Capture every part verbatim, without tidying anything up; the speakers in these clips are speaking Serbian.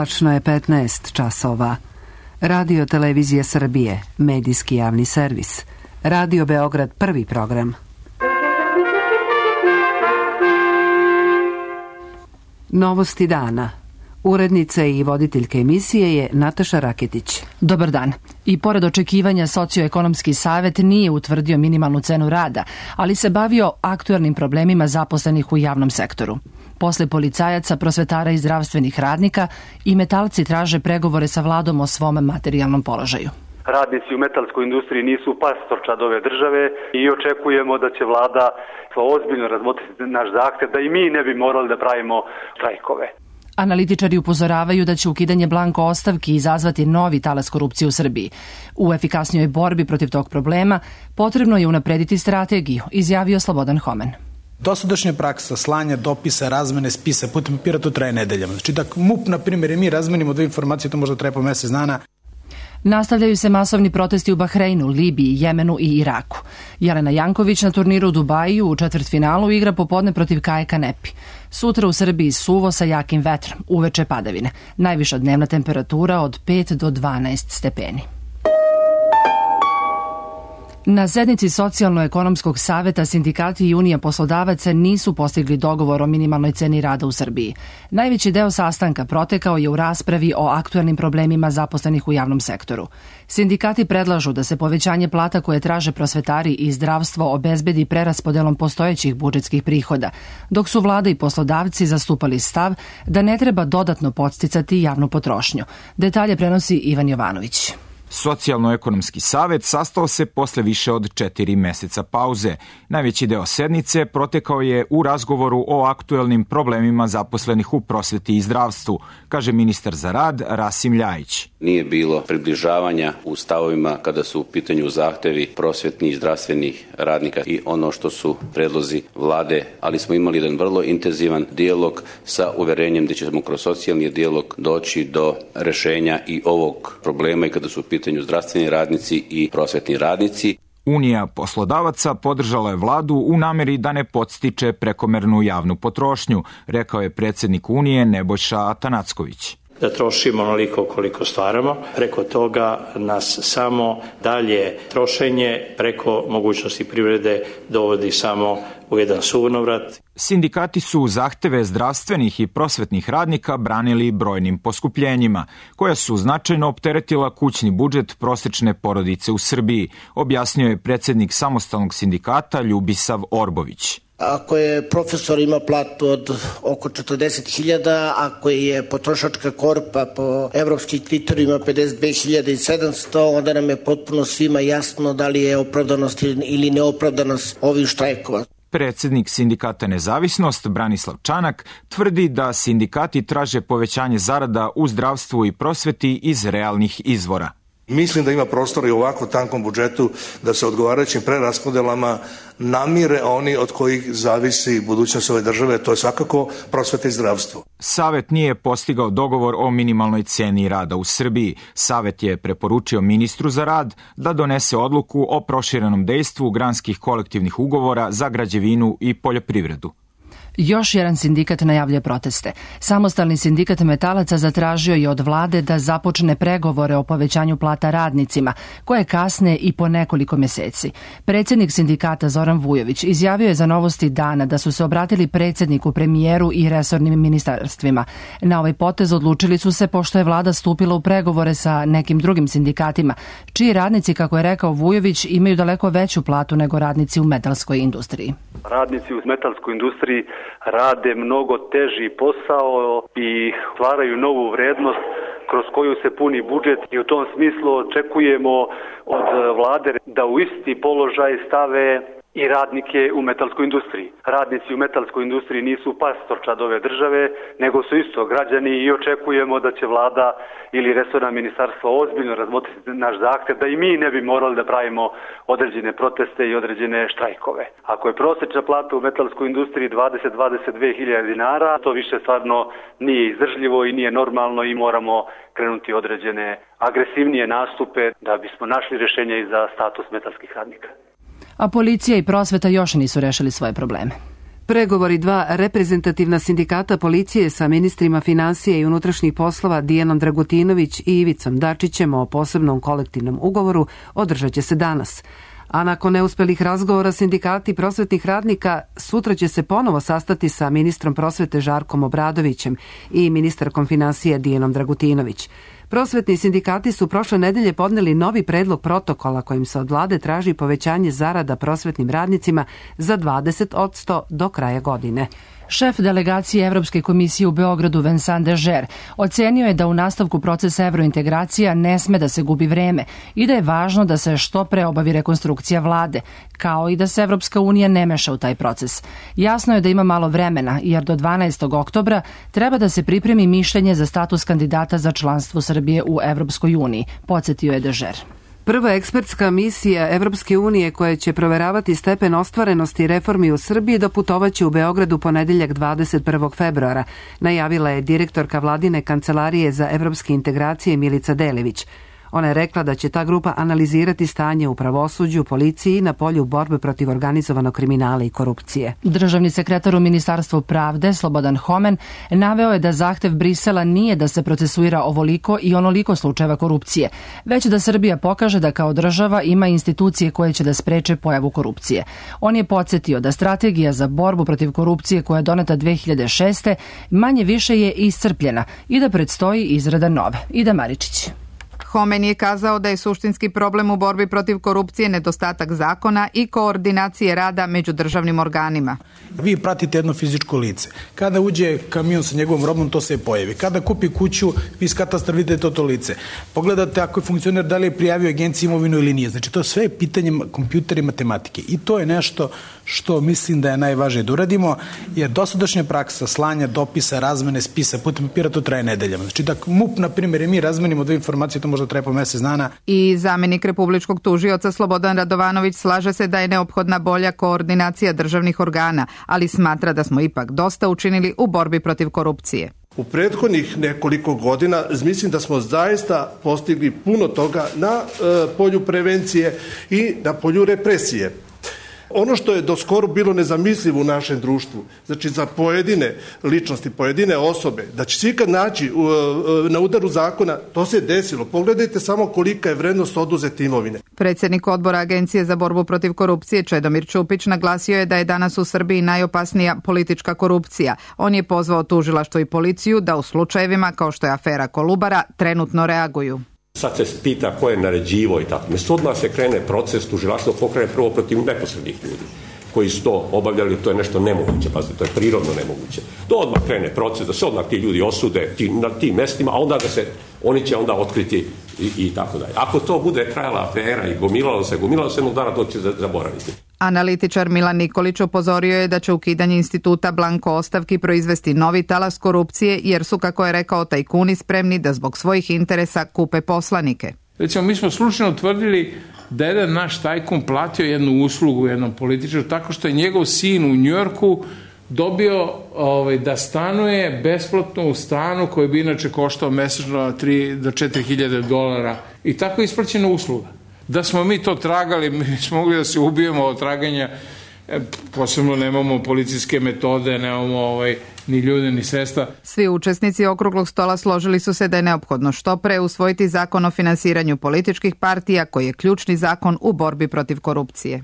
Tačno je petnaest časova. Radio Televizija Srbije, medijski javni servis. Radio Beograd, prvi program. Novosti dana. Urednica i voditeljka emisije je Nataša Raketić. Dobar dan. I pored očekivanja Socioekonomski savet nije utvrdio minimalnu cenu rada, ali se bavio aktuelnim problemima zaposlenih u javnom sektoru. Posle policajaca, prosvetara i zdravstvenih radnika, i metalci traže pregovore sa vladom o svom materijalnom položaju. Radnici u metalskoj industriji nisu pastorčad ove države i očekujemo da će vlada ozbiljno razmotriti naš zahtev da i mi ne bi morali da pravimo štrajkove. Analitičari upozoravaju da će ukidanje blanko ostavki izazvati novi talas korupcije u Srbiji. U efikasnijoj borbi protiv tog problema potrebno je unaprediti strategiju, izjavio Slobodan Homen. Dosadašnja praksa slanja dopisa, razmene spisa putem papira, to traje nedeljama. Znači da MUP, na primjer, i mi razmenimo dve informacije, to možda traje po mesec dana. Nastavljaju se masovni protesti u Bahreinu, Libiji, Jemenu i Iraku. Jelena Janković na turniru u Dubaju u četvrtfinalu igra popodne protiv Kaje Kanepi. Sutra u Srbiji suvo sa jakim vetrom, uveče padavine. Najviša dnevna temperatura od pet do dvanaest stepeni. Na sednici Socijalno-ekonomskog saveta sindikati i Unija poslodavaca nisu postigli dogovor o minimalnoj ceni rada u Srbiji. Najveći deo sastanka protekao je u raspravi o aktuelnim problemima zaposlenih u javnom sektoru. Sindikati predlažu da se povećanje plata koje traže prosvetari i zdravstvo obezbedi preraspodelom postojećih budžetskih prihoda, dok su vlada i poslodavci zastupali stav da ne treba dodatno podsticati javnu potrošnju. Detalje prenosi Ivan Jovanović. Socijalno-ekonomski savet sastao se posle više od četiri meseca pauze. Najveći deo sednice protekao je u razgovoru o aktuelnim problemima zaposlenih u prosveti i zdravstvu, kaže ministar za rad Rasim Ljajić. Nije bilo približavanja u stavovima kada su u pitanju zahtevi prosvetnih i zdravstvenih radnika i ono što su predlozi vlade, ali smo imali jedan vrlo intenzivan dijalog sa uverenjem da ćemo kroz socijalni dijalog doći do rešenja i ovog problema i kada su u pitanju zdravstveni radnici i prosvetni radnici. Unija poslodavaca podržala je vladu u nameri da ne podstiče prekomernu javnu potrošnju, rekao je predsjednik Unije Nebojša Atanacković. Da trošimo onoliko koliko stvaramo. Preko toga nas samo dalje trošenje preko mogućnosti privrede dovodi samo u jedan sunovrat. Sindikati su zahteve zdravstvenih i prosvetnih radnika branili brojnim poskupljenjima, koja su značajno opteretila kućni budžet prosečne porodice u Srbiji, objasnio je predsjednik samostalnog sindikata Ljubisav Orbović. Ako je profesor ima platu od oko četrdeset hiljada, ako je potrošačka korpa po evropskim kriterijima pedeset dve hiljade sedamsto, onda nam je potpuno svima jasno da li je opravdanost ili neopravdanost ovih štrajkova. Predsjednik sindikata Nezavisnost, Branislav Čanak, tvrdi da sindikati traže povećanje zarada u zdravstvu i prosveti iz realnih izvora. Mislim da ima prostora i u ovako tankom budžetu da se odgovarajućim preraspodelama namire oni od kojih zavisi budućnost ove države, to je svakako prosveta i zdravstvo. Savet nije postigao dogovor o minimalnoj ceni rada u Srbiji. Savet je preporučio ministru za rad da donese odluku o proširenom dejstvu granskih kolektivnih ugovora za građevinu i poljoprivredu. Još jedan sindikat najavlja proteste. Samostalni sindikat metalaca zatražio je od vlade da započne pregovore o povećanju plata radnicima, koje kasne i po nekoliko meseci. Predsjednik sindikata Zoran Vujović izjavio je za Novosti dana da su se obratili predsjedniku, premijeru i resornim ministarstvima. Na ovaj potez odlučili su se pošto je vlada stupila u pregovore sa nekim drugim sindikatima, čiji radnici, kako je rekao Vujović, imaju daleko veću platu nego radnici u metalskoj industriji. Radnici u metalskoj industriji rade mnogo teži posao i stvaraju novu vrednost kroz koju se puni budžet i u tom smislu očekujemo od vlade da u isti položaj stave i radnike u metalskoj industriji. Radnici u metalskoj industriji nisu pastorčad ove države, nego su isto građani i očekujemo da će vlada ili resorna ministarstva ozbiljno razmotriti naš zahtev da i mi ne bi morali da pravimo određene proteste i određene štrajkove. Ako je prosječna plata u metalskoj industriji dvadeset do dvadeset dve hiljade dinara, to više stvarno nije izdržljivo i nije normalno i moramo krenuti određene agresivnije nastupe da bismo našli rješenje i za status metalskih radnika. A policija i prosveta još nisu rešili svoje probleme. Pregovori dva reprezentativna sindikata policije sa ministrima financije i unutrašnjih poslova Dijanom Dragutinović i Ivicom Dačićem o posebnom kolektivnom ugovoru održat će se danas. A nakon neuspelih razgovora sindikati prosvetnih radnika sutra će se ponovo sastati sa ministrom prosvete Žarkom Obradovićem i ministarkom financije Dijanom Dragutinović. Prosvetni sindikati su prošle nedelje podneli novi predlog protokola kojim se od vlade traži povećanje zarada prosvetnim radnicima za dvadeset posto do kraja godine. Šef delegacije Evropske komisije u Beogradu Vincent Dežer ocenio je da u nastavku procesa evrointegracija ne sme da se gubi vreme i da je važno da se što pre obavi rekonstrukcija vlade, kao i da se Evropska unija ne meša u taj proces. Jasno je da ima malo vremena, jer do dvanaestog oktobra treba da se pripremi mišljenje za status kandidata za članstvo Srbije u Evropskoj uniji, podsjetio je Dežer. Prva ekspertska misija Evropske unije koja će proveravati stepen ostvarenosti reformi u Srbiji doputovaće u Beogradu ponedeljak dvadeset prvog februara, najavila je direktorka vladine kancelarije za evropske integracije Milica Delević. Ona je rekla da će ta grupa analizirati stanje u pravosuđu, policiji i na polju borbe protiv organizovanog kriminala i korupcije. Državni sekretar u Ministarstvu pravde Slobodan Homen naveo je da zahtev Brisela nije da se procesuira ovoliko i onoliko slučajeva korupcije, već da Srbija pokaže da kao država ima institucije koje će da spreče pojavu korupcije. On je podsjetio da strategija za borbu protiv korupcije koja je doneta dve hiljade šeste. manje više je iscrpljena i da predstoji izrada nove. Ida Maričić. Homen je kazao da je suštinski problem u borbi protiv korupcije nedostatak zakona i koordinacije rada među državnim organima. Vi pratite jedno fizičko lice. Kada uđe kamion sa njegovom robom, to se pojavi. Kada kupi kuću, vi iz katastra vidite to to lice. Pogledate ako je funkcioner da li je prijavio agenciji imovinu ili nije. Znači, to sve je pitanje kompjutera i matematike. I to je nešto što mislim da je najvažnije da uradimo, jer dosadašnja praksa slanja dopisa, razmene spisa putem papira, to traje nedeljama. Znači, da MUP, na primjer, mi razmenimo dve informacije, to možda traje po mesec dana. I zamenik republičkog tužioca Slobodan Radovanović slaže se da je neophodna bolja koordinacija državnih organa, ali smatra da smo ipak dosta učinili u borbi protiv korupcije. U prethodnih nekoliko godina mislim da smo zaista postigli puno toga na e, polju prevencije i na polju represije. Ono što je do skoro bilo nezamislivo u našem društvu, znači za pojedine ličnosti, pojedine osobe, da će se ikad naći na udaru zakona, to se desilo. Pogledajte samo kolika je vrednost oduzete imovine. Predsjednik odbora Agencije za borbu protiv korupcije Čedomir Čupić naglasio je da je danas u Srbiji najopasnija politička korupcija. On je pozvao tužilaštvo i policiju da u slučajevima kao što je afera Kolubara trenutno reaguju. Sad se pita ko je naređivo i tako. Mesto odmah se krene proces, tužilaštvo pokrene prvo protiv neposrednih ljudi koji su to obavljali, to je nešto nemoguće, pazite, to je prirodno nemoguće. To odmah krene proces, da se odmah ti ljudi osude ti, na tim mestima, a onda da se, oni će onda otkriti i, i tako dalje. Ako to bude trajala afera i gomilalo se, gomilalo se, jednog dana to će zaboraviti. Analitičar Milan Nikolić upozorio je da će ukidanje instituta blanko ostavki proizvesti novi talas korupcije, jer su, kako je rekao, tajkuni spremni da zbog svojih interesa kupe poslanike. Recimo, mi smo slučajno utvrdili da je jedan naš tajkun platio jednu uslugu jednom političaru tako što je njegov sin u Njujorku dobio ovaj, da stanuje besplatno u stanu koji bi inače koštao mesečno tri do četiri hiljade dolara. I tako je isplaćena usluga. Da smo mi to tragali, mi smo mogli da se ubijemo od traganja, posebno nemamo policijske metode, nemamo ovaj, ni ljude, ni sredstva. Svi učesnici okruglog stola složili su se da je neophodno što pre usvojiti zakon o finansiranju političkih partija, koji je ključni zakon u borbi protiv korupcije.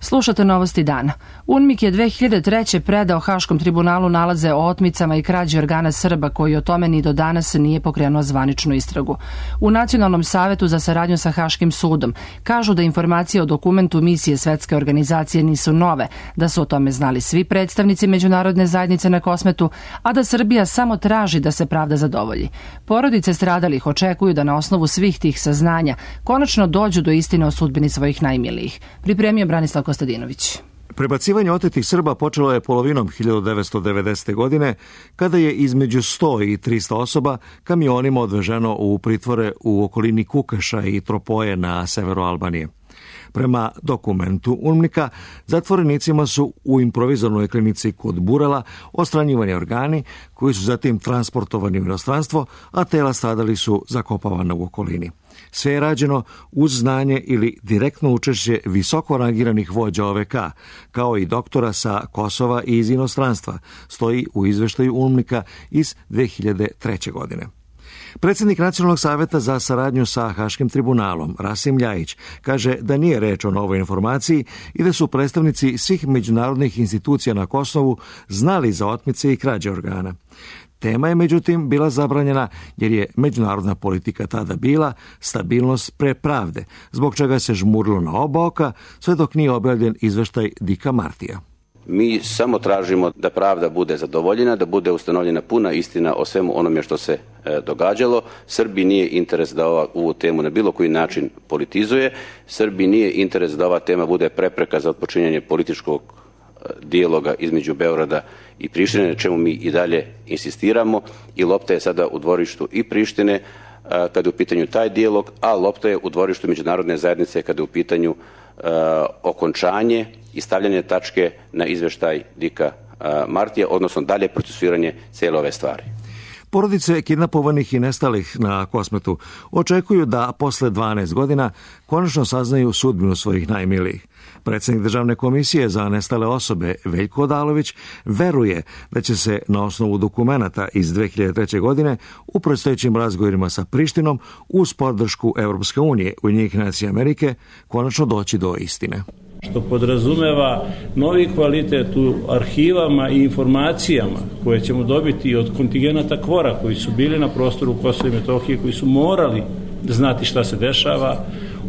Slušate novosti dana. UNMIK je dve hiljade treće. predao Haškom tribunalu nalaze o otmicama i krađi organa Srba, koji o tome ni do danas nije pokrenuo zvaničnu istragu. U Nacionalnom savetu za saradnju sa Haškim sudom kažu da informacije o dokumentu misije Svetske organizacije nisu nove, da su o tome znali svi predstavnici međunarodne zajednice na Kosmetu, a da Srbija samo traži da se pravda zadovolji. Porodice stradalih očekuju da na osnovu svih tih saznanja konačno dođu do istine o sudbini svojih najmilijih. Pripremio Branislav Kostadinović. Prebacivanje otetih Srba počelo je polovinom hiljadu devetsto devedesete. godine, kada je između sto i trista osoba kamionima odveženo u pritvore u okolini Kukaša i Tropoje na severu Albanije. Prema dokumentu UNMIK-a, zatvorenicima su u improvizornoj klinici kod Burala ostranjivani organi koji su zatim transportovani u inostranstvo, a tela stradali su zakopavana u okolini. Sve je rađeno uz znanje ili direktno učešće visoko rangiranih vođa O V K, kao i doktora sa Kosova i iz inostranstva, stoji u izveštaju UNMIK-a iz dve hiljade treće. godine. Predsjednik Nacionalnog saveta za saradnju sa Haškim tribunalom, Rasim Ljajić, kaže da nije reč o novoj informaciji i da su predstavnici svih međunarodnih institucija na Kosovu znali za otmice i krađe organa. Tema je međutim bila zabranjena jer je međunarodna politika tada bila stabilnost pre pravde, zbog čega se žmurilo na oba oka, sve dok nije objavljen izveštaj Dika Martija. Mi samo tražimo da pravda bude zadovoljena, da bude ustanovljena puna istina o svemu onome što se e, događalo. Srbiji nije interes da ova, ovu temu na bilo koji način politizuje. Srbiji nije interes da ova tema bude prepreka za odpočinjanje političkog e, dijaloga između Beograda i Prištine, na čemu mi i dalje insistiramo. I lopta je sada u dvorištu i Prištine e, kada je u pitanju taj dijalog, a lopta je u dvorištu međunarodne zajednice kada je u pitanju e, okončanje i stavljanje tačke na izveštaj Dika Martija, odnosno dalje procesuiranje cijele ove stvari. Porodice kidnapovanih i nestalih na Kosmetu očekuju da posle dvanaest godina konačno saznaju sudbinu svojih najmilijih. Predsjednik Državne komisije za nestale osobe Veljko Odalović veruje da će se na osnovu dokumenata iz dve hiljade treće. godine u predstojećim razgovorima sa Prištinom uz podršku Europske unije, Ujedinjenih nacija Amerike konačno doći do istine. Što podrazumeva novi kvalitet u arhivama i informacijama koje ćemo dobiti od kontingenata KFOR-a koji su bili na prostoru Kosova i Metohije, koji su morali znati šta se dešava,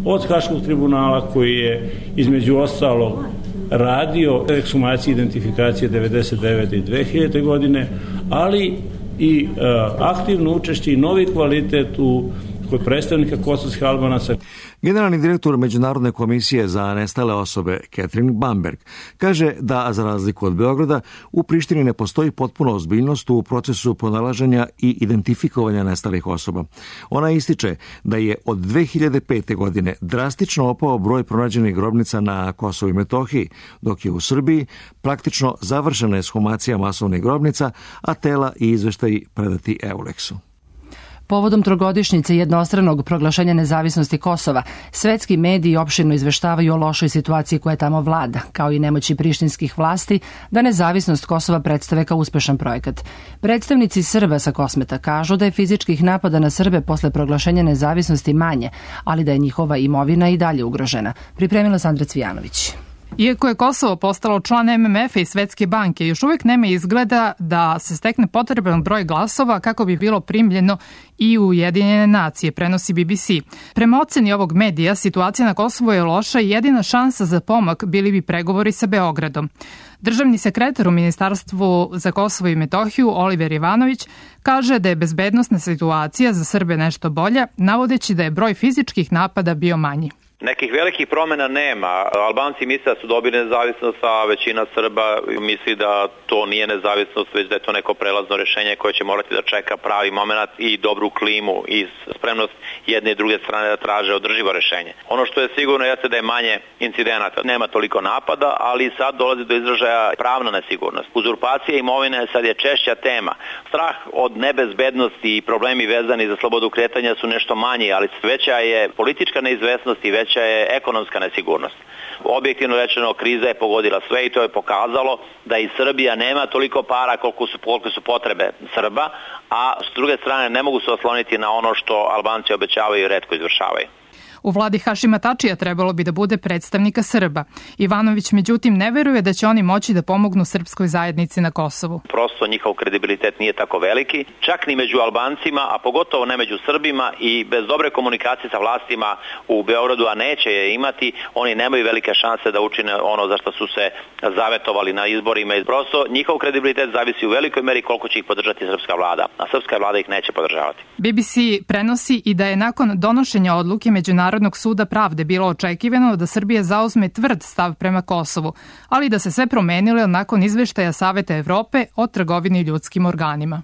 od Haškog tribunala koji je između ostalog radio ekshumacije i identifikacije devedeset devete i dve hiljade. godine, ali i uh, aktivno učešće i novi kvalitet u kod predstavnika kosovskih Albanaca. Generalni direktor Međunarodne komisije za nestale osobe Catherine Bamberg kaže da, za razliku od Beograda, u Prištini ne postoji potpuna ozbiljnost u procesu pronalaženja i identifikovanja nestalih osoba. Ona ističe da je od dve hiljade pete. godine drastično opao broj pronađenih grobnica na Kosovu i Metohiji, dok je u Srbiji praktično završena ekshumacija masovnih grobnica, a tela i izveštaji predati Euleksu. Povodom trogodišnjice jednostranog proglašenja nezavisnosti Kosova, svetski mediji opširno izveštavaju o lošoj situaciji koja tamo vlada, kao i nemoći prištinskih vlasti da nezavisnost Kosova predstave kao uspešan projekat. Predstavnici Srba sa Kosmeta kažu da je fizičkih napada na Srbe posle proglašenja nezavisnosti manje, ali da je njihova imovina i dalje ugrožena. Pripremila Sandra Cvijanović. Iako je Kosovo postalo član M M F-a i Svetske banke, još uvijek nema izgleda da se stekne potreban broj glasova kako bi bilo primljeno i u Ujedinjene nacije, prenosi B B C. Prema oceni ovog medija, situacija na Kosovu je loša i jedina šansa za pomak bili bi pregovori sa Beogradom. Državni sekretar u Ministarstvu za Kosovo i Metohiju, Oliver Ivanović, kaže da je bezbednosna situacija za Srbe nešto bolja, navodeći da je broj fizičkih napada bio manji. Nekih velikih promjena nema. Albanci misle da su dobili nezavisnost, a većina Srba misli da to nije nezavisnost, već da je to neko prelazno rješenje koje će morati da čeka pravi moment i dobru klimu i spremnost jedne i druge strane da traže održivo rješenje. Ono što je sigurno jeste da je manje incidenata, nema toliko napada, ali sad dolazi do izražaja pravna nesigurnost. Uzurpacija imovine sad je češća tema. Strah od nebezbednosti i problemi vezani za slobodu kretanja su nešto manji, ali veća je politička neizvesnost i veća je ekonomska nesigurnost. Objektivno rečeno, kriza je pogodila sve i to je pokazalo da i Srbija nema toliko para koliko su, koliko su potrebe Srba, a s druge strane ne mogu se osloniti na ono što Albanci obećavaju i retko izvršavaju. U vladi Hašima Tačija trebalo bi da bude predstavnika Srba. Ivanović međutim ne veruje da će oni moći da pomognu srpskoj zajednici na Kosovu. Prosto njihov kredibilitet nije tako veliki, čak ni među Albancima, a pogotovo ne među Srbima, i bez dobre komunikacije sa vlastima u Beogradu, a neće je imati, oni nemaju velike šanse da učine ono za što su se zavetovali na izborima. Prosto njihov kredibilitet zavisi u velikoj meri koliko će ih podržati srpska vlada, a srpska vlada ih neće podržavati. B B C prenosi i da je nakon donošenja odluke Međunarodnog suda pravde bilo očekivano da Srbija zauzme tvrd stav prema Kosovu, ali da se sve promenilo nakon izveštaja Saveta Evrope o trgovini ljudskim organima.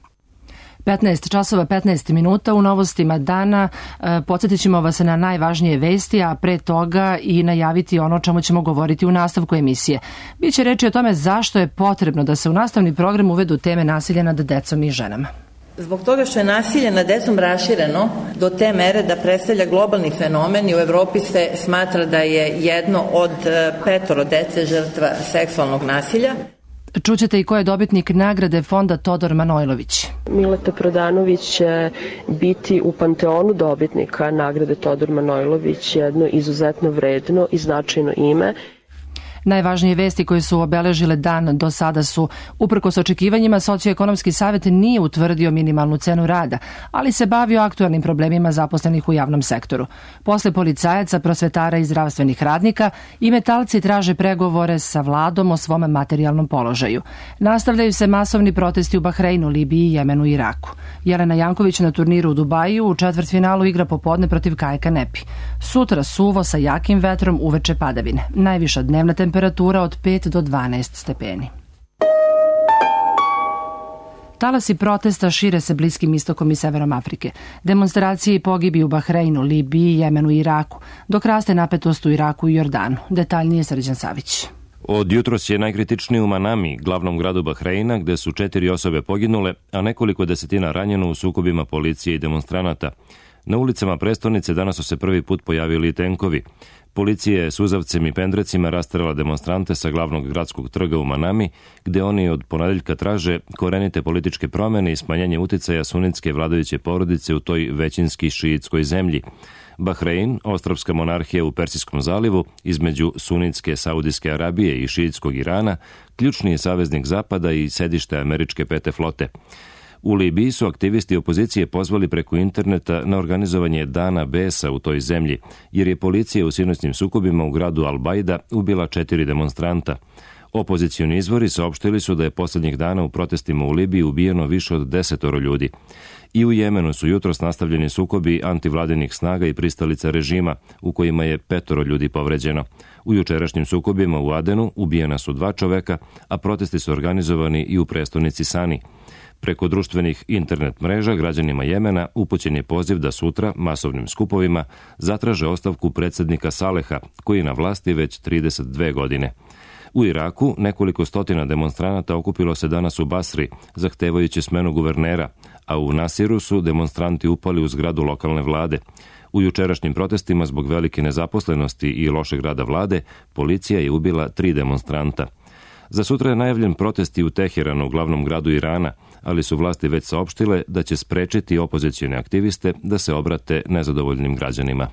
petnaest časova petnaest minuta u novostima dana. Podsjetit ćemo vas na najvažnije vesti, a pre toga i najaviti ono o čemu ćemo govoriti u nastavku emisije. Biće reči o tome zašto je potrebno da se u nastavni program uvedu teme nasilja nad decom i ženama. Zbog toga što je nasilje nad decom rašireno do te mere da predstavlja globalni fenomen i u Evropi se smatra da je jedno od petoro dece žrtva seksualnog nasilja. Čućete i ko je dobitnik nagrade fonda Todor Manojlović. Mileta Prodanović će biti u panteonu dobitnika nagrade Todor Manojlović, jedno izuzetno vredno i značajno ime. Najvažnije vesti koje su obeležile dan do sada su: uprkos očekivanjima, Socioekonomski savet nije utvrdio minimalnu cenu rada, ali se bavio aktuelnim problemima zaposlenih u javnom sektoru. Posle policajaca, prosvetara i zdravstvenih radnika, i metalci traže pregovore sa vladom o svom materijalnom položaju. Nastavljaju se masovni protesti u Bahreinu, Libiji, Jemenu i Iraku. Jelena Janković na turniru u Dubaju u četvrtfinalu igra popodne protiv Kaje Kanepi. Sutra suvo sa jakim vetrom, uveče padavine. Najviša dnevna temperatura temperatura od pet do dvanaest stepeni. Talasi protesta šire se Bliskim istokom i severom Afrike. Demonstracije i pogibi u Bahreinu, Libiji, Jemenu i Iraku, dok raste napetost u Iraku i Jordanu. Detaljnije Srđan Savić. Od jutros je najkritičniji u Manami, glavnom gradu Bahreina, gde su četiri osobe poginule, a nekoliko desetina ranjeno u sukobima policije i demonstranata. Na ulicama prestonice danas su se prvi put pojavili tenkovi. Policija je suzavcem i pendrecima rasterala demonstrante sa glavnog gradskog trga u Manami, gde oni od ponedeljka traže korenite političke promene i smanjenje uticaja sunitske vladajuće porodice u toj većinski šiitskoj zemlji. Bahrein, ostrvska monarhija u Persijskom zalivu, između sunitske Saudijske Arabije i šiitskog Irana, ključni je saveznik Zapada i sedište američke pete flote. U Libiji su aktivisti opozicije pozvali preko interneta na organizovanje Dana besa u toj zemlji, jer je policija u sinoćnim sukobima u gradu Al-Baida ubila četiri demonstranta. Opozicioni izvori saopštili su da je poslednjih dana u protestima u Libiji ubijeno više od desetoro ljudi. I u Jemenu su jutros nastavljeni sukobi antivladinih snaga i pristalica režima, u kojima je petoro ljudi povređeno. U jučerašnjim sukobima u Adenu ubijena su dva čoveka, a protesti su organizovani i u prestonici Sani. Preko društvenih internet mreža građanima Jemena upućen je poziv da sutra masovnim skupovima zatraže ostavku predsednika Saleha, koji je na vlasti već trideset dve godine. U Iraku nekoliko stotina demonstranata okupilo se danas u Basri, zahtevajući smenu guvernera, a u Nasiru su demonstranti upali u zgradu lokalne vlade. U jučerašnjim protestima zbog velike nezaposlenosti i lošeg rada vlade, policija je ubila tri demonstranta. Za sutra je najavljen protest i u Teheranu, glavnom gradu Irana, ali su vlasti već saopštile da će sprečiti opozicione aktiviste da se obrate nezadovoljnim građanima.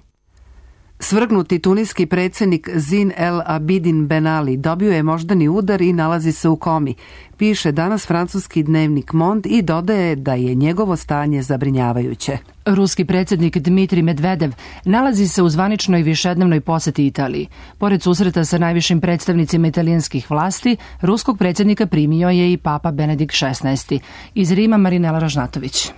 Svrgnuti tuniski predsjednik Zin El Abidin Ben Ali dobio je moždani udar i nalazi se u komi. Piše danas francuski dnevnik Monde i dodaje da je njegovo stanje zabrinjavajuće. Ruski predsjednik Dmitrij Medvedev nalazi se u zvaničnoj višednevnoj poseti Italiji. Pored susreta sa najvišim predstavnicima italijanskih vlasti, ruskog predsjednika primio je i Papa Benedikt šesnaesti. Iz Rima Marinela Ražnatović.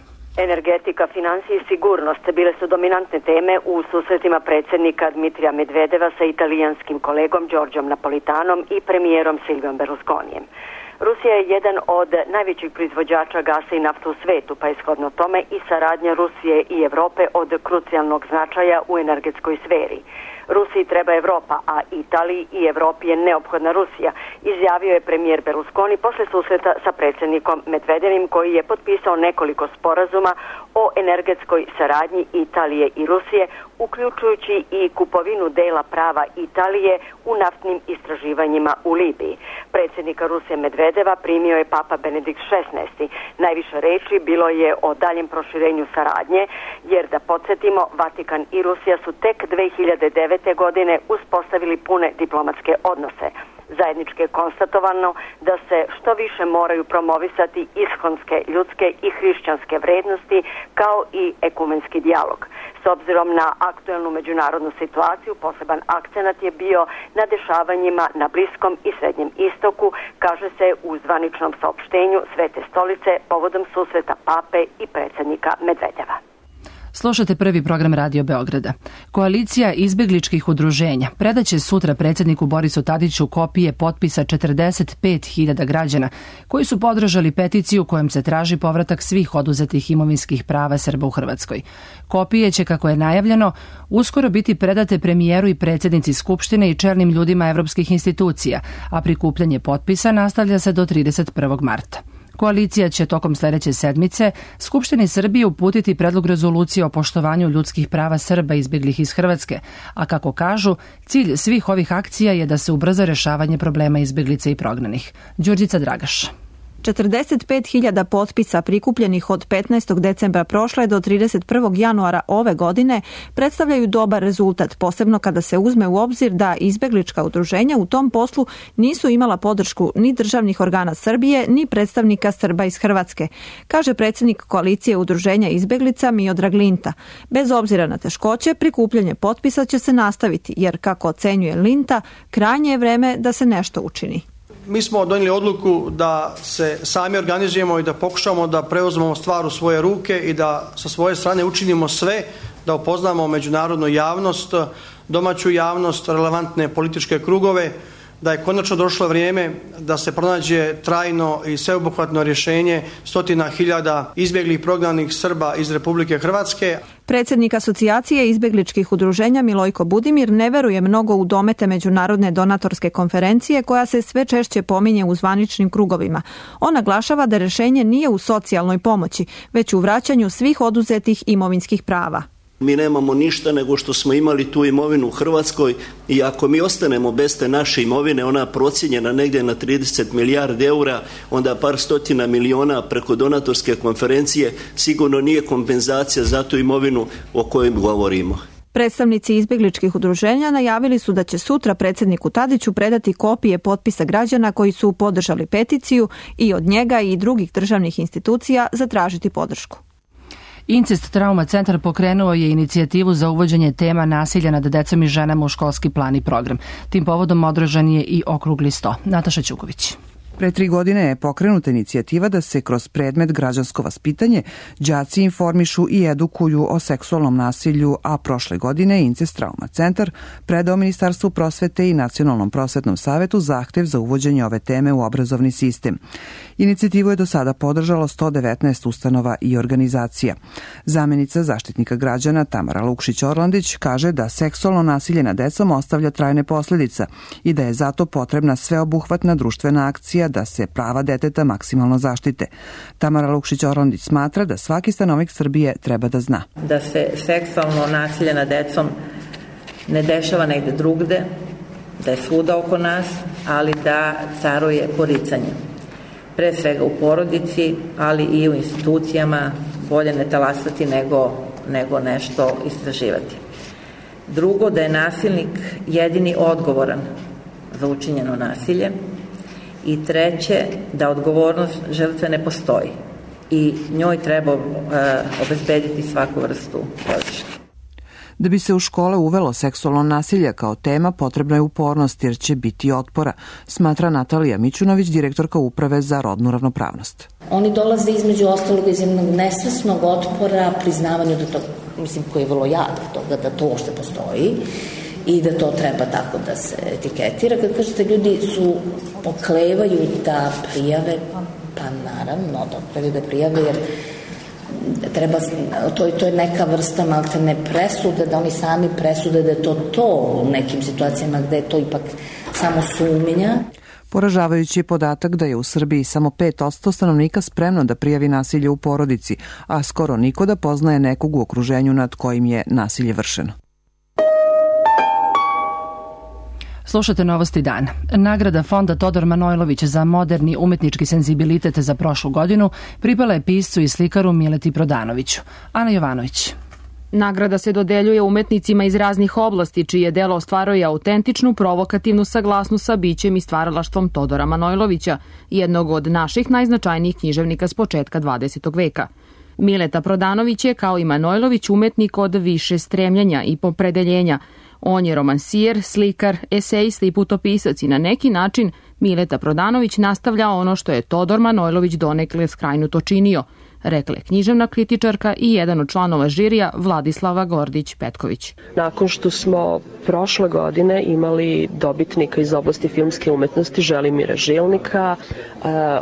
Energetika, financije i sigurnost bile su dominantne teme u susretima predsjednika Dmitrija Medvedeva sa italijanskim kolegom Giorgiom Napolitanom i premijerom Silviom Berlusconijem. Rusija je jedan od najvećih proizvođača gasa i nafte u svetu, pa je shodno tome i saradnja Rusije i Evrope od krucijalnog značaja u energetskoj sferi. Rusiji treba Evropa, a Italiji i Evropi je neophodna Rusija, izjavio je premijer Berlusconi posle susreta sa predsjednikom Medvedevim, koji je potpisao nekoliko sporazuma o energetskoj saradnji Italije i Rusije, uključujući i kupovinu dela prava Italije u naftnim istraživanjima u Libiji. Predsjednika Rusije Medvedeva primio je Papa Benedikt šesnaesti. Najviše reči bilo je o daljem proširenju saradnje, jer da podsjetimo, Vatikan i Rusija su tek dve hiljade devete. godine uspostavili pune diplomatske odnose. Zajednički je konstatovano da se što više moraju promovisati ishonske, ljudske i hrišćanske vrednosti kao i ekumenski dijalog. S obzirom na aktuelnu međunarodnu situaciju, poseban akcenat je bio na dešavanjima na Bliskom i Srednjem istoku, kaže se u zvaničnom saopštenju Svete stolice povodom susreta pape i predsjednika Medvedeva. Slušate prvi program Radio Beograda. Koalicija izbegličkih udruženja predaće sutra predsjedniku Borisu Tadiću kopije potpisa četrdeset pet hiljada građana koji su podržali peticiju kojom se traži povratak svih oduzetih imovinskih prava Srba u Hrvatskoj. Kopije će, kako je najavljeno, uskoro biti predate premijeru i predsjednici Skupštine i čelnim ljudima evropskih institucija, a prikupljanje potpisa nastavlja se do trideset prvog marta. Koalicija će tokom sledeće sedmice Skupštini Srbije uputiti predlog rezolucije o poštovanju ljudskih prava Srba izbeglih iz Hrvatske, a kako kažu, cilj svih ovih akcija je da se ubrza rešavanje problema izbeglica i prognanih. Đurđica Dragaš. četrdeset pet hiljada potpisa prikupljenih od petnaestog decembra prošle do trideset prvog januara ove godine predstavljaju dobar rezultat, posebno kada se uzme u obzir da izbeglička udruženja u tom poslu nisu imala podršku ni državnih organa Srbije, ni predstavnika Srba iz Hrvatske, kaže predsjednik koalicije udruženja izbeglica Miodrag Linta. Bez obzira na teškoće, prikupljanje potpisa će se nastaviti, jer kako ocenjuje Linta, krajnje je vreme da se nešto učini. Mi smo donijeli odluku da se sami organizujemo i da pokušamo da preuzmemo stvar u svoje ruke i da sa svoje strane učinimo sve da upoznamo međunarodnu javnost, domaću javnost, relevantne političke krugove, da je konačno došlo vrijeme da se pronađe trajno i sveobuhvatno rješenje stotina hiljada izbjeglih prognanih Srba iz Republike Hrvatske. Predsjednik asocijacije izbjegličkih udruženja Milojko Budimir ne veruje mnogo u domete međunarodne donatorske konferencije koja se sve češće pominje u zvaničnim krugovima. On naglašava da rješenje nije u socijalnoj pomoći, već u vraćanju svih oduzetih imovinskih prava. Mi nemamo ništa nego što smo imali tu imovinu u Hrvatskoj i ako mi ostanemo bez te naše imovine, ona procijenjena negdje na trideset milijardi eura, onda par stotina miliona preko donatorske konferencije sigurno nije kompenzacija za tu imovinu o kojoj govorimo. Predstavnici izbjegličkih udruženja najavili su da će sutra predsjedniku Tadiću predati kopije potpisa građana koji su podržali peticiju i od njega i drugih državnih institucija zatražiti podršku. Incest Trauma centar pokrenuo je inicijativu za uvođenje tema nasilja nad decom i ženama u školski plan i program. Tim povodom održan je i okrugli sto. Nataša Ćuković. Pre tri godine je pokrenuta inicijativa da se kroz predmet građansko vaspitanje đaci informišu i edukuju o seksualnom nasilju, a prošle godine Incest Trauma centar predao Ministarstvu prosvete i Nacionalnom prosvetnom savetu zahtev za uvođenje ove teme u obrazovni sistem. Inicijativu je do sada podržalo sto devetnaest ustanova i organizacija. Zamenica zaštitnika građana Tamara Lukšić-Orlandić kaže da seksualno nasilje nad decom ostavlja trajne posljedice i da je zato potrebna sveobuhvatna društvena akcija da se prava deteta maksimalno zaštite. Tamara Lukšić-Orlandić smatra da svaki stanovnik Srbije treba da zna. Da se seksualno nasilje nad decom ne dešava negde drugde, da je svuda oko nas, ali da caruje poricanje. Pre svega u porodici, ali i u institucijama, bolje ne talasati nego, nego nešto istraživati. Drugo, da je nasilnik jedini odgovoran za učinjeno nasilje. I treće, da odgovornost žrtve ne postoji i njoj treba e, obezbediti svaku vrstu podrške. Da bi se u škole uvelo seksualno nasilje kao tema, potrebna je upornost jer će biti otpora, smatra Natalija Mićunović, direktorka Uprave za rodnu ravnopravnost. Oni dolaze između ostalog iz jednog nesvesnog otpora priznavanju da to, mislim, koji je vrlo jak toga da to uopšte postoji i da to treba tako da se etiketira. Kad kažete, ljudi su oklevaju da prijave, pa naravno da oklevaju da prijave, jer treba, to, to je neka vrsta maltene presude, da oni sami presude da je to to u nekim situacijama gde je to ipak samo sumnja. Poražavajući je podatak da je u Srbiji samo pet posto stanovnika spremno da prijavi nasilje u porodici, a skoro niko da poznaje nekog u okruženju nad kojim je nasilje vršeno. Slušate Novosti dana. Nagrada Fonda Todor Manojlović za moderni umetnički senzibilitet za prošlu godinu pripala je piscu i slikaru Mileti Prodanoviću. Ana Jovanović. Nagrada se dodeljuje umetnicima iz raznih oblasti, čije delo ostvaruje autentičnu, provokativnu saglasnost sa bićem i stvaralaštvom Todora Manojlovića, jednog od naših najznačajnijih književnika s početka dvadesetog veka. Mileta Prodanović je, kao i Manojlović, umetnik od više stremljenja i popredeljenja. On je romansijer, slikar, esejista i putopisac i na neki način Mileta Prodanović nastavlja ono što je Todor Manojlović donekle skrajnuto činio, rekla je književna kritičarka i jedan od članova žirija Vladislava Gordić-Petković. Nakon što smo prošle godine imali dobitnika iz oblasti filmske umetnosti Želimira Žilnika,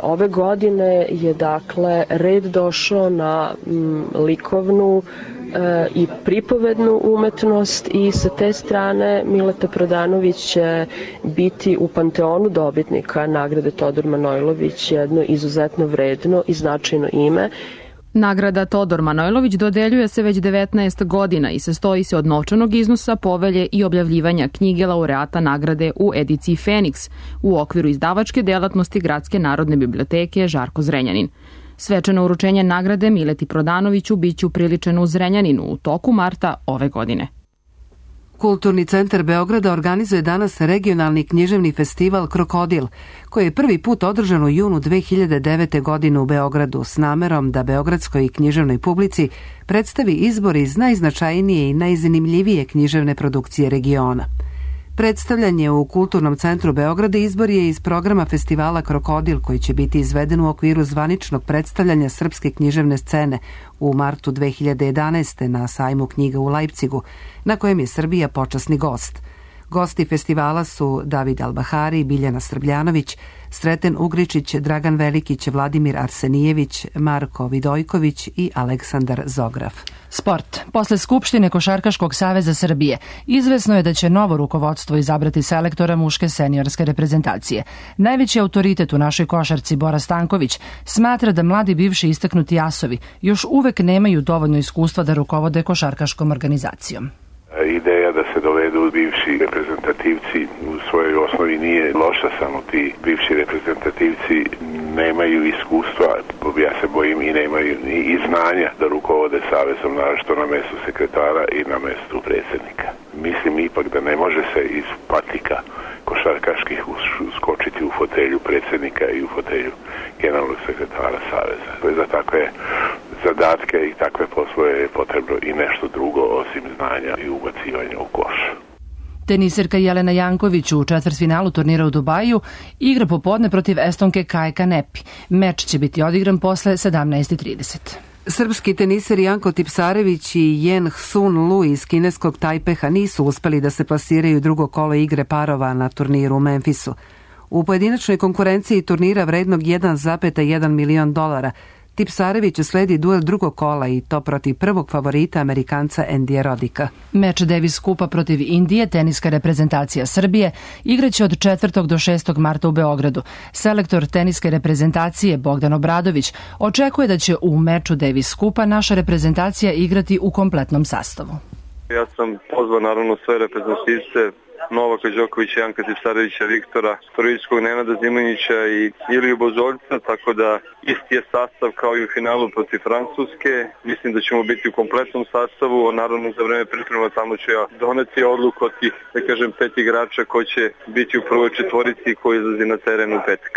ove godine je dakle red došao na likovnu i pripovednu umetnost i sa te strane Mileta Prodanović će biti u panteonu dobitnika nagrade Todor Manojlović jedno izuzetno vredno i značajno ime. Nagrada Todor Manojlović dodeljuje se već devetnaest godina i sastoji se od novčanog iznosa, povelje i objavljivanja knjige laureata nagrade u ediciji Feniks u okviru izdavačke delatnosti Gradske narodne biblioteke Žarko Zrenjanin. Svečano uručenje nagrade Mileti Prodanoviću biće upriličeno u Zrenjaninu u toku marta ove godine. Kulturni centar Beograda organizuje danas regionalni književni festival Krokodil, koji je prvi put održan u junu dve hiljade devete. godine u Beogradu s namerom da beogradskoj književnoj publici predstavi izbor iz najznačajnije i najzanimljivije književne produkcije regiona. Predstavljanje u Kulturnom centru Beograda izbor je iz programa festivala Krokodil, koji će biti izveden u okviru zvaničnog predstavljanja srpske književne scene u martu dve hiljade jedanaeste. na sajmu knjiga u Lajpcigu, na kojem je Srbija počasni gost. Gosti festivala su David Albahari, Biljana Srbljanović, Sreten Ugričić, Dragan Velikić, Vladimir Arsenijević, Marko Vidojković i Aleksandar Zograf. Sport. Posle Skupštine Košarkaškog saveza Srbije izvesno je da će novo rukovodstvo izabrati selektora muške seniorske reprezentacije. Najveći autoritet u našoj košarci, Bora Stanković, smatra da mladi bivši istaknuti asovi još uvek nemaju dovoljno iskustva da rukovode košarkaškom organizacijom. Ideja da se dovedu bivši reprezentativci u svojoj osnovi nije loša, samo ti bivši reprezentativci nemaju iskustva, ja se bojim i nemaju i znanja da rukovode savezom, naročito na mestu sekretara i na mestu predsjednika. Mislim ipak da ne može se iz patika košarkaških skočiti u fotelju predsjednika i u fotelju generalnog sekretara saveza. Za takve zadatke i takve poslove je potrebno i nešto drugo osim znanja i ubacivanja u koš. Teniserka Jelena Janković u četvrtfinalu turnira u Dubaju igra popodne protiv Estonke Kaje Kanepi. Meč će biti odigran posle sedamnaest trideset. Srpski teniser Janko Tipsarević i Jen Sun Lu iz kineskog Tajpeha nisu uspeli da se plasiraju drugo kolo igre parova na turniru u Memphisu. U pojedinačnoj konkurenciji turnira vrednog jedan zarez jedan milion dolara Tipsareviću sledi duel drugog kola i to protiv prvog favorita Amerikanca Endija Rodika. Meč Davis Kupa protiv Indije, teniska reprezentacija Srbije, igraće od četvrtog do šestog marta u Beogradu. Selektor teniske reprezentacije Bogdan Obradović očekuje da će u meču Davis Kupa naša reprezentacija igrati u kompletnom sastavu. Ja sam pozvao naravno sve reprezentativce Novaka Đokovića, Janka Tipsarevića, Viktora Storovićkog, Nenada Zimonjića i Iliju Bozoljca, tako da isti je sastav kao i u finalu protiv Francuske. Mislim da ćemo biti u kompletnom sastavu, naravno za vreme priprema tamo ću ja doneti odluku od tih, da kažem, pet igrača koji će biti u prvoj četvorici i koji izlazi na teren u petak.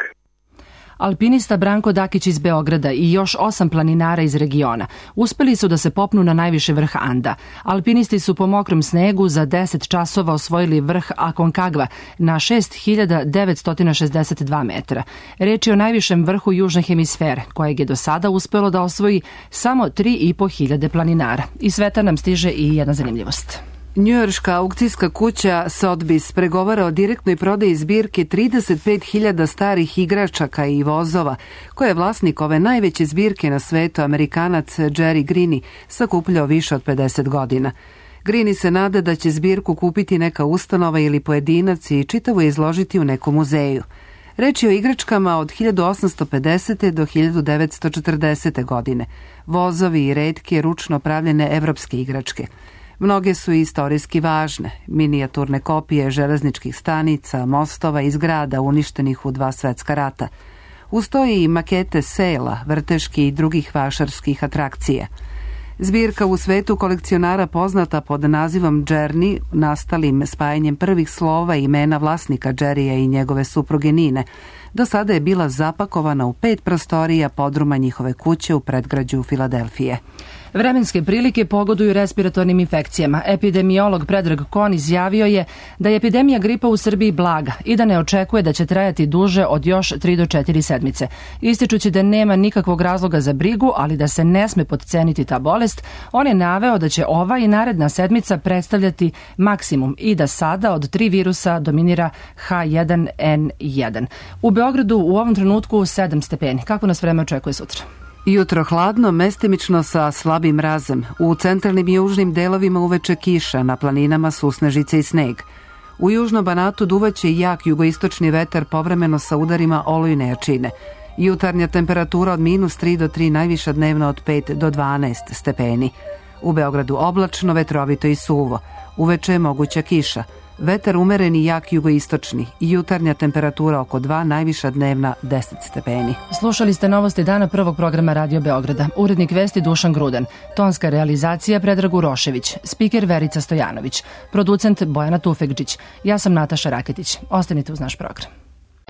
Alpinista Branko Dakić iz Beograda i još osam planinara iz regiona uspeli su da se popnu na najviši vrh Anda. Alpinisti su po mokrom snegu za deset časova osvojili vrh Aconcagua na šest hiljada devetsto šezdeset dva metra. Reč je o najvišem vrhu južne hemisfere, kojeg je do sada uspelo da osvoji samo tri i po hiljade planinara. Iz sveta nam stiže i jedna zanimljivost. Njujorška aukcijska kuća Sotheby's pregovara o direktnoj prodaji zbirke trideset pet hiljada starih igračaka i vozova, koje je vlasnik ove najveće zbirke na svetu, Amerikanac Jerry Greene, sakupljao više od pedeset godina. Greene se nada da će zbirku kupiti neka ustanova ili pojedinac i čitavo izložiti u nekom muzeju. Reč je o igračkama od hiljadu osamsto pedesete. do hiljadu devetsto četrdesete. godine, vozovi i retke ručno pravljene evropske igračke. Mnoge su istorijski važne, minijaturne kopije železničkih stanica, mostova i zgrada uništenih u dva svetska rata. Uz to i makete sela, vrteški i drugih vašarskih atrakcija. Zbirka u svetu kolekcionara poznata pod nazivom Journey, nastalim spajanjem prvih slova i imena vlasnika Jerrya i njegove supruge Nine, do sada je bila zapakovana u pet prostorija podruma njihove kuće u predgrađu Filadelfije. Vremenske prilike pogoduju respiratornim infekcijama. Epidemiolog Predrag Kon izjavio je da je epidemija gripa u Srbiji blaga i da ne očekuje da će trajati duže od još tri do četiri sedmice. Ističući da nema nikakvog razloga za brigu, ali da se ne sme potceniti ta bolest, on je naveo da će ova i naredna sedmica predstavljati maksimum i da sada od tri virusa dominira ha jedan en jedan. U Beogradu u ovom trenutku sedam stepeni. Kako nas vreme očekuje sutra? Jutro hladno, mestimično sa slabim mrazem. U centralnim i južnim delovima uveče kiša, na planinama susnežice i sneg. U južnom Banatu duvaće jak jugoistočni vetar povremeno sa udarima olujne jačine. Jutarnja temperatura od minus tri do tri, najviša dnevna od pet do dvanaest stepeni. U Beogradu oblačno, vetrovito i suvo. Uveče je moguća kiša. Vetar umeren i jak jugoistočni. Jutarnja temperatura oko dva, najviša dnevna deset stepeni. Slušali ste novosti dana prvog programa Radio Beograda. Urednik vesti Dušan Grudan. Tonska realizacija Predrag Urošević. Spiker Verica Stojanović. Producent Bojana Tufegđić. Ja sam Nataša Raketić. Ostanite uz naš program.